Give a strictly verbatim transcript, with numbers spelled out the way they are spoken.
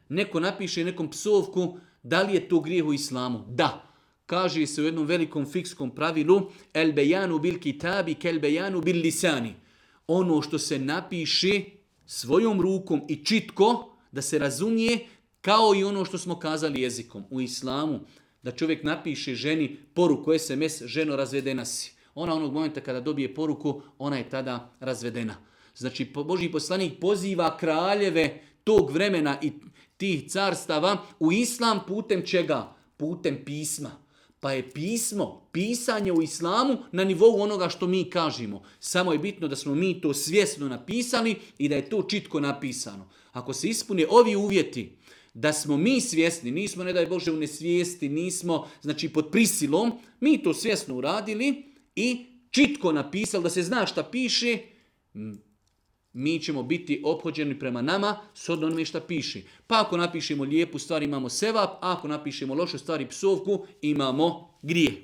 Neko napiše nekom psovku, da li je to grijeh u islamu? Da. Kaže se u jednom velikom fikskom pravilu, el bejanu bil kitabi kel bejanu bil lisani. Ono što se napiše svojom rukom i čitko, da se razumije, kao i ono što smo kazali jezikom. U islamu, da čovjek napiše ženi poruku es em es, ženo razvedena si. Ona onog momenta kada dobije poruku, ona je tada razvedena. Znači, Božji poslanik poziva kraljeve tog vremena i tih carstava u islam putem čega? Putem pisma. Pa je pismo, pisanje u islamu na nivou onoga što mi kažemo. Samo je bitno da smo mi to svjesno napisali i da je to čitko napisano. Ako se ispune ovi uvjeti, da smo mi svjesni, nismo, ne daj Bože, u nesvijesti, nismo, znači pod prisilom, mi to svjesno uradili i čitko napisali, da se zna šta piše, mi ćemo biti ophođeni prema nama s onome šta piše. Pa ako napišemo lijepu stvar imamo sevap, a ako napišemo lošu stvar i psovku imamo grijeh.